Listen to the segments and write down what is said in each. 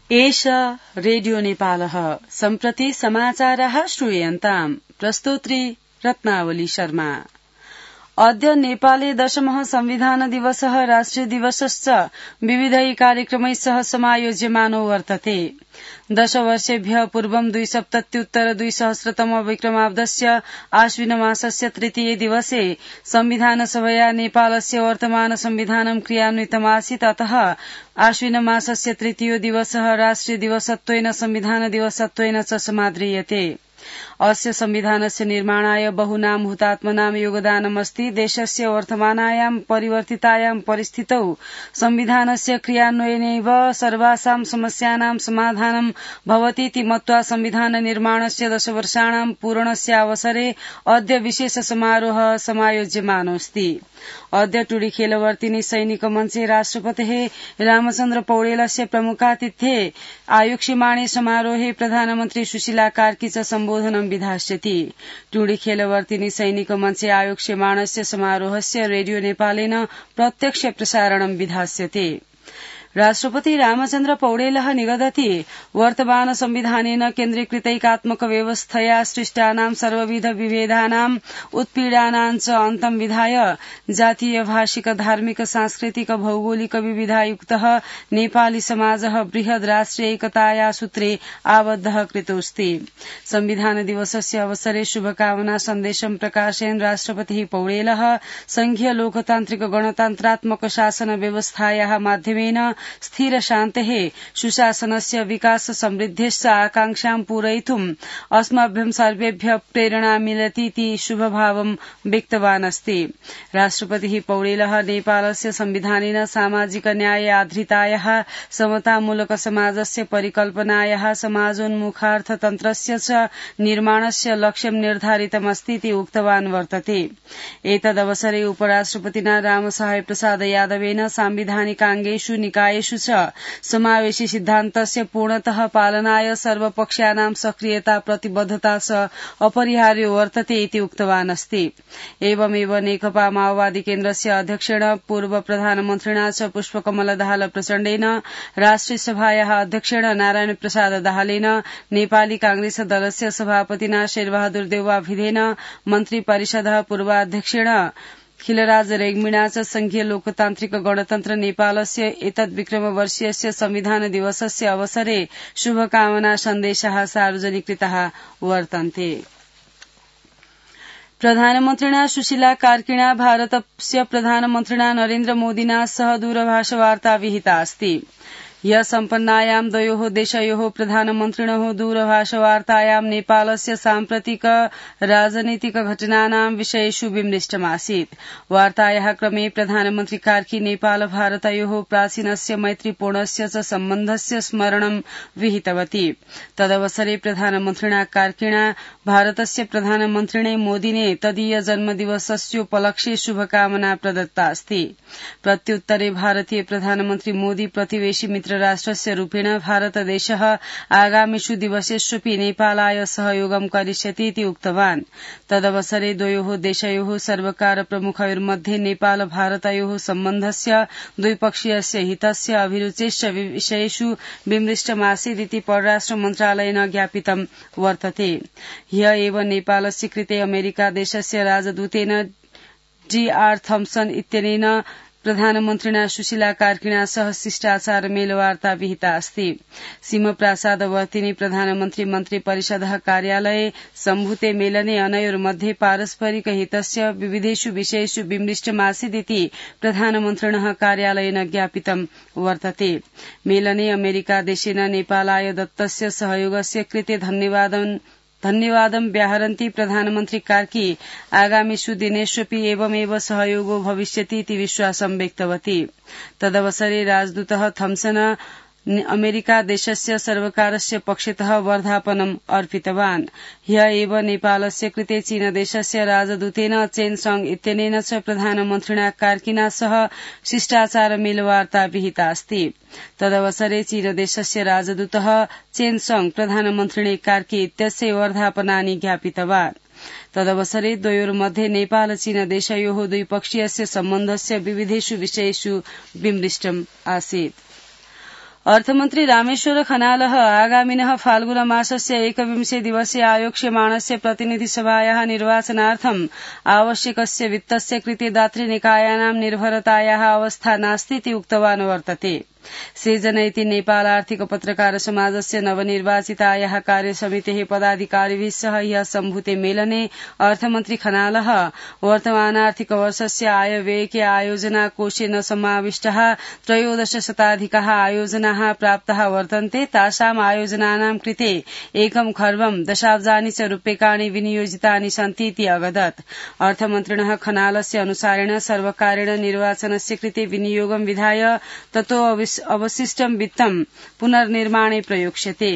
एष रेडियो नेपालः सम्प्रति समाचारः श्रूयन्ताम् प्रस्तोत्री रत्नावली शर्मा। अद्य नेपाले दशमः संविधान दिवसः राष्ट्रिय दिवसश्च विविधैः कार्यक्रमैः सह समायोज्यमानो वर्तते। दशवर्षेभ्यः पूर्वं २०७०-२०सहस्रतम विक्रमाब्दस्य आश्विनमासस्य तृतीये दिवसे संविधानसभया नेपालस्य वर्तमान संविधानं क्रियान्वितमासीत्। अतः आश्विनमासस्य तृतीयो दिवसः राष्ट्रिय दिवसत्वेन संविधान दिवसत्वेन च समाद्रियते। अस्य संविधानस्य निर्माणाय बहूनां हुतात्मनां योगदानमस्ति। देशस्य वर्तमानायां परिवर्तितायां परिस्थितौ संविधानस्य क्रियान्वयनेनैव सर्वासां समस्यानां समाधानं भवतीति मत्वा संविधान निर्माणस्य 10 वर्षाणां पूरणस्यावसरे अद्य विशेष समारोहः समायोज्यमानोऽस्ति। अद्य टुडी खेलवर्तिनी सैनिक मञ्चे राष्ट्रपतेः रामचन्द्र पौडेलस्य प्रमुखातिथ्ये आयोक्ष्यमाणे समारोहे प्रधानमन्त्री सुशीला कार्की च सम्बोधनं विधास्यति। टुडी खेलवर्तिनी सैनिक मञ्चे आयोक्ष्यमाणस्य समारोहस्य रेडियो नेपालेन प्रत्यक्ष प्रसारणं विधास्यते। राष्ट्रपति रामचन्द्र पौडेलः निगदति वर्तमान संविधानेन केन्द्रीकृतैकात्मक व्यवस्थया सृष्टानां सर्वविध विभेदानां उत्पीडनां च अन्तं विधाय जातीय भाषिक धार्मिक सांस्कृतिक भौगोलिक विविधायुक्तः नेपाली समाजः बृहद् राष्ट्रिय एकताया सूत्रे आबद्धः कृतोऽस्ति। संविधान दिवसस्य अवसरे शुभकामना सन्देशं प्रकाशयन् राष्ट्रपतिः पौडेलः संघीय लोकतान्त्रिक गणतन्त्रात्मक शासन व्यवस्थायाः माध्यमेन स्थिर शान्तेः सुशासनस्य विकास समृद्धेश्च आकांक्षां पूरयितुम् अस्मभ्यं सर्वेभ्यः प्रेरणा मिलतीति शुभभावं व्यक्तवान् अस्ति। राष्ट्रपतिः पौडेलः नेपालस्य संविधानेन सामाजिक न्याय आधारितायाः समतामूलक समाजस्य परिकल्पनायाः समाजोन्मुखार्थतन्त्रस्य च निर्माणस्य लक्ष्यं निर्धारितमस्तीति उक्तवान् वर्तते। एतदवसरे उपराष्ट्रपतिना रामसहाय प्रसाद यादवेन सांविधानिकाङ्गेषु निकायेषु च समावेशी सिद्धान्तस्य पूर्णतः पालनाय सर्वपक्षानां सक्रियता प्रतिबद्धता च अपरिहार्यो वर्तते इति उक्तवान् अस्ति। एवमेव नेकपा माओवादी केन्द्रस्य अध्यक्षेण पूर्व प्रधानमन्त्रिणा च पुष्पकमल दाहाल प्रचण्डेन राष्ट्रिय सभायाः अध्यक्षेण नारायण प्रसाद दाहालेन नेपाली कांग्रेस दलस्य सभापतिना शेरबहादुर देउवा भिधेन मन्त्री परिषदः पूर्वाध्यक्षेण खिलराज रेग्मीणा च संघीय लोकतान्त्रिक गणतन्त्र नेपालस्य एतद्विक्रमवर्षीयस्य संविधान दिवसस्य अवसरे शुभकामना सन्देशाः सार्वजनिकृताः वर्तन्ते। प्रधानमन्त्रिणा सुशीला कार्किणा भारतस्य प्रधानमन्त्रिणा नरेन्द्र मोदिना सह दूरभाषवार्ता विहिता अस्ति। ह्यः सम्पन्नायां द्वयोः देशयोः प्रधानमन्त्रिणोः दूरभाषवार्तायां नेपालस्य साम्प्रतिक राजनीतिक घटनानां विषयेषु विमृष्टमासीत्। वार्तायाः क्रमे प्रधानमन्त्री कार्की नेपाल भारतयोः प्राचीनस्य मैत्रीपूर्णस्य च सम्बन्धस्य स्मरणं विहितवती। तदवसरे प्रधानमन्त्रिणा कार्किणा भारतस्य प्रधानमन्त्रिणे मोदिने तदीय जन्मदिवसस्योपलक्ष्ये शुभकामना प्रदत्ता अस्ति। प्रत्युत्तरे भारतीय प्रधानमन्त्री मोदी प्रतिवेशी मित्र राष्ट्रस्य रूपेण भारतदेशः आगामिषु दिवसेष्वपि नेपालाय सहयोगं करिष्यति इति उक्तवान्। तदवसरे द्वयोः देशयोः सर्वकार प्रमुखयोर्मध्ये नेपाल भारतयोः सम्बन्धस्य द्विपक्षीयस्य हितस्य अभिरुचेश्च विषयेषु विमृष्टमासीदिति परराष्ट्र मन्त्रालयेन ज्ञापितं वर्तते। ह्यः एव नेपालस्य कृते अमेरिका देशस्य राजदूतेन जी.आर. थम्सन इत्यनेन प्रधानमन्त्रिणा सुशीला कार्किणा सह शिष्टाचार मेलवार्ता विहिता अस्ति। सिंहप्रासादवर्तिनी प्रधानमन्त्री मन्त्री परिषदः कार्यालये सम्भूते मेलने अनयोर्मध्ये पारस्परिक हितस्य विविधेषु विषयेषु विमृष्टमासीदिति प्रधानमन्त्रिणः कार्यालयेन ज्ञापितं वर्तते। मेलने अमेरिकादेशेन नेपालाय दत्तस्य सहयोगस्य कृते धन्यवादं व्याहरन्ती प्रधानमन्त्री कार्की आगामिषु दिनेष्वपि एवमेव सहयोगो भविष्यति इति विश्वासं व्यक्तवती। तदवसरे राजदूतः थम्सन अमेरिका देशस्य सर्वकारस्य पक्षतः वर्धापनम् अर्पितवान्। ह्यः एव नेपालस्य कृते चीनदेशस्य राजदूतेन चेन संग इत्यनेन च प्रधानमन्त्रिणा कार्किना सह शिष्टाचार मेलवार्ता विहिता अस्ति। तदवसरे चीनदेशस्य राजदूतः चेन संग प्रधानमन्त्रिणे कार्की इत्यस्य वर्धापनानि ज्ञापितवान्। तदवसरे द्वयोर्मध्ये नेपाल चीन देशयोः द्विपक्षीयस्य सम्बन्धस्य विविधेषु विषयेषु विमृष्टम् आसीत्। अर्थमन्त्री रामेश्वर खनालः आगामिनः फाल्गुनमासस्य 21 दिवसे आयोक्ष्यमाणस्य प्रतिनिधिसभायाः निर्वाचनार्थम् आवश्यकस्य वित्तस्य कृते दातृनिकायानां निर्भरतायाः अवस्था नास्तीति उक्तवान् वर्तते। सृजन इति नेपाल आर्थिक पत्रकार समाजस्य नवनिर्वाचितायाः कार्यसमितेः पदाधिकारिभिः सह ह्यः सम्भूते मेलने अर्थमन्त्री खनालः वर्तमानार्थिक वर्षस्य आयव्ययके आयोजना कोशे न समाविष्टाः 13 शताधिकाः आयोजनाः प्राप्ताः वर्तन्ते। तासाम् आयोजनानां कृते 1 खर्बं दशाब्जानि च रूप्यकाणि विनियोजितानि सन्ति इति अवदत्। अर्थमन्त्रिणः खनालस्य अनुसारेण सर्वकारेण निर्वाचनस्य कृते विनियोगं विधाय ततो अवशिष्टं वित्तं पुनर्निर्माणे प्रयोक्ष्यते।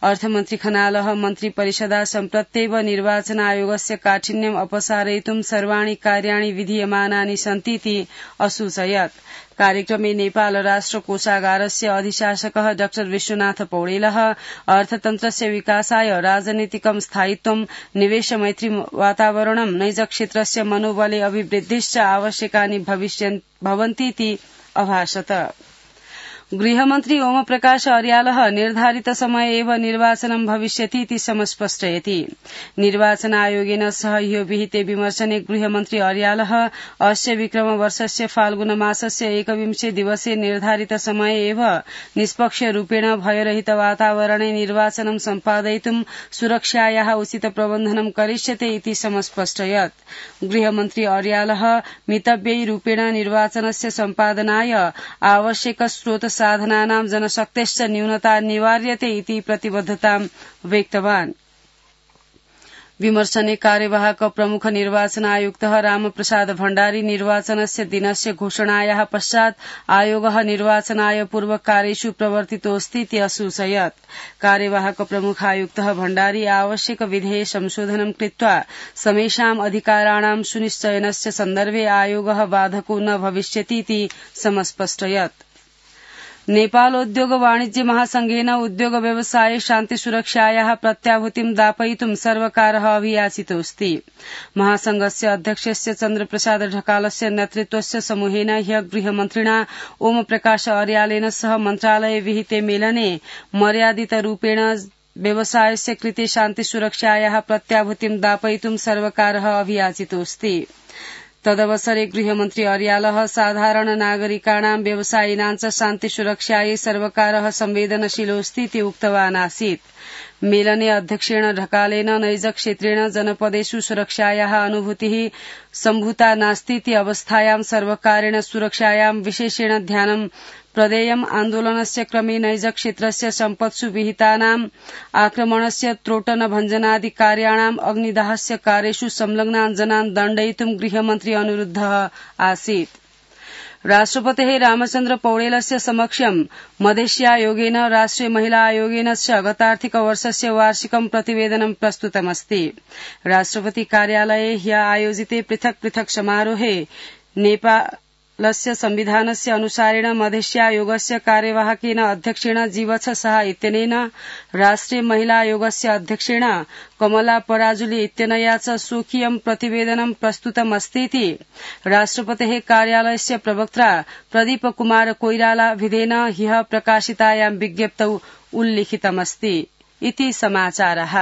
अर्थमन्त्री खनालः मन्त्रिपरिषदा सम्प्रत्येव निर्वाचन आयोगस्य काठिन्यम् अपसारयितुं सर्वाणि कार्याणि विधीयमानानि सन्तीति असूचयत्। कार्यक्रमे नेपाल राष्ट्र कोषागारस्य अधिशासकः डाक्टर विश्वनाथ पौडेलः अर्थतन्त्रस्य विकासाय राजनीतिकं स्थायित्वं निवेश मैत्री वातावरणं नैजक्षेत्रस्य मनोबले अभिवृद्धिश्च आवश्यकानि भवन्तीति अभाषत। गृहमन्त्री ओमप्रकाश अर्यालः निर्धारित समये एव निर्वाचनं भविष्यति इति समस्पष्टयति। निर्वाचन आयोगेन सह ह्यो विहिते विमर्शने गृहमन्त्री अर्यालः अस्य विक्रमवर्षस्य फाल्गुनमासस्य 21 दिवसे निर्धारित समये एव निष्पक्ष रूपेण भयरहित वातावरणे निर्वाचनं सम्पादयितुं सुरक्षायाः उचित प्रबन्धनं करिष्यते इति समस्पष्टयत्। गृहमन्त्री अर्यालः मितव्ययी रूपेण निर्वाचनस्य सम्पादनाय आवश्यक स्रोत साधनानां जनशक्तेश्च न्यूनता निवार्यते इति प्रतिबद्धतां व्यक्तवान्। विमर्शने कार्यवाहक प्रमुख निर्वाचन आयुक्तः रामप्रसाद भण्डारी निर्वाचनस्य दिनस्य घोषणायाः पश्चात् आयोगः निर्वाचनाय पूर्वकार्येषु प्रवर्तितोऽस्ति इति असूचयत्। कार्यवाहक प्रमुख आयुक्तः भण्डारी आवश्यक विधेये संशोधनं कृत्वा समेषाम् अधिकाराणां सुनिश्चयनस्य सन्दर्भे आयोगः बाधको न भविष्यति इति समस्पष्टयत्। नेपालोद्योग वाणिज्य महासंघेन उद्योग व्यवसाये शान्ति सुरक्षायाः प्रत्याभूतिं दापयितुं सर्वकारः अभियाचितोऽस्ति। महासंघस्य अध्यक्षस्य चन्द्रप्रसाद ढकालस्य नेतृत्वस्य समूहेन ह्यः गृहमन्त्रिणा ओमप्रकाश अर्यालेन सह मन्त्रालये विहिते मेलने मर्यादितरूपेण व्यवसायस्य कृते शान्ति सुरक्षायाः प्रत्याभूतिं दापयितुं सर्वकारः अभियाचितोऽस्ति। तदवसरे गृहमन्त्री अर्यालः साधारण नागरिकाणां व्यवसायिनां च शान्ति सुरक्षायै सर्वकारः संवेदनशीलोऽस्ति इति उक्तवान् आसीत्। मेलने अध्यक्षेण ढकालेन नैजक्षेत्रेण जनपदेषु सुरक्षायाः अनुभूतिः सम्भूता नास्तीति अवस्थायां सर्वकारेण सुरक्षायां विशेषेण ध्यानं प्रदेयम्। आन्दोलनस्य क्रमे नैजक्षेत्रस्य सम्पत्सु विहितानाम् आक्रमणस्य त्रोटन भञ्जनादि कार्याणाम् अग्निदाहस्य कार्येषु संलग्नान् जनान् दण्डयितुं गृहमन्त्री अनुरुद्धः आसीत्। राष्ट्रपतेः रामचन्द्र पौडेलस्य समक्षं मधेश्यायोगेन राष्ट्रिय महिला आयोगेन च गतार्थिक वर्षस्य वार्षिकं प्रतिवेदनं प्रस्तुतमस्ति। राष्ट्रपति कार्यालये ह्यः आयोजिते पृथक् पृथक् समारोहे नेपालस्य संविधानस्य अनुसारेण मधेश्यायोगस्य कार्यवाहकेन अध्यक्षेण जीवछ शाह इत्यनेन राष्ट्रिय महिला आयोगस्य अध्यक्षेण कमला पराजुली इत्यनया च स्वकीयं प्रतिवेदनं प्रस्तुतमस्तीति राष्ट्रपतेः कार्यालयस्य प्रवक्त्रा प्रदीप कुमार कोइराला विधेन ह्यः प्रकाशितायां विज्ञप्तौ उल्लिखितमस्ति इति समाचारः।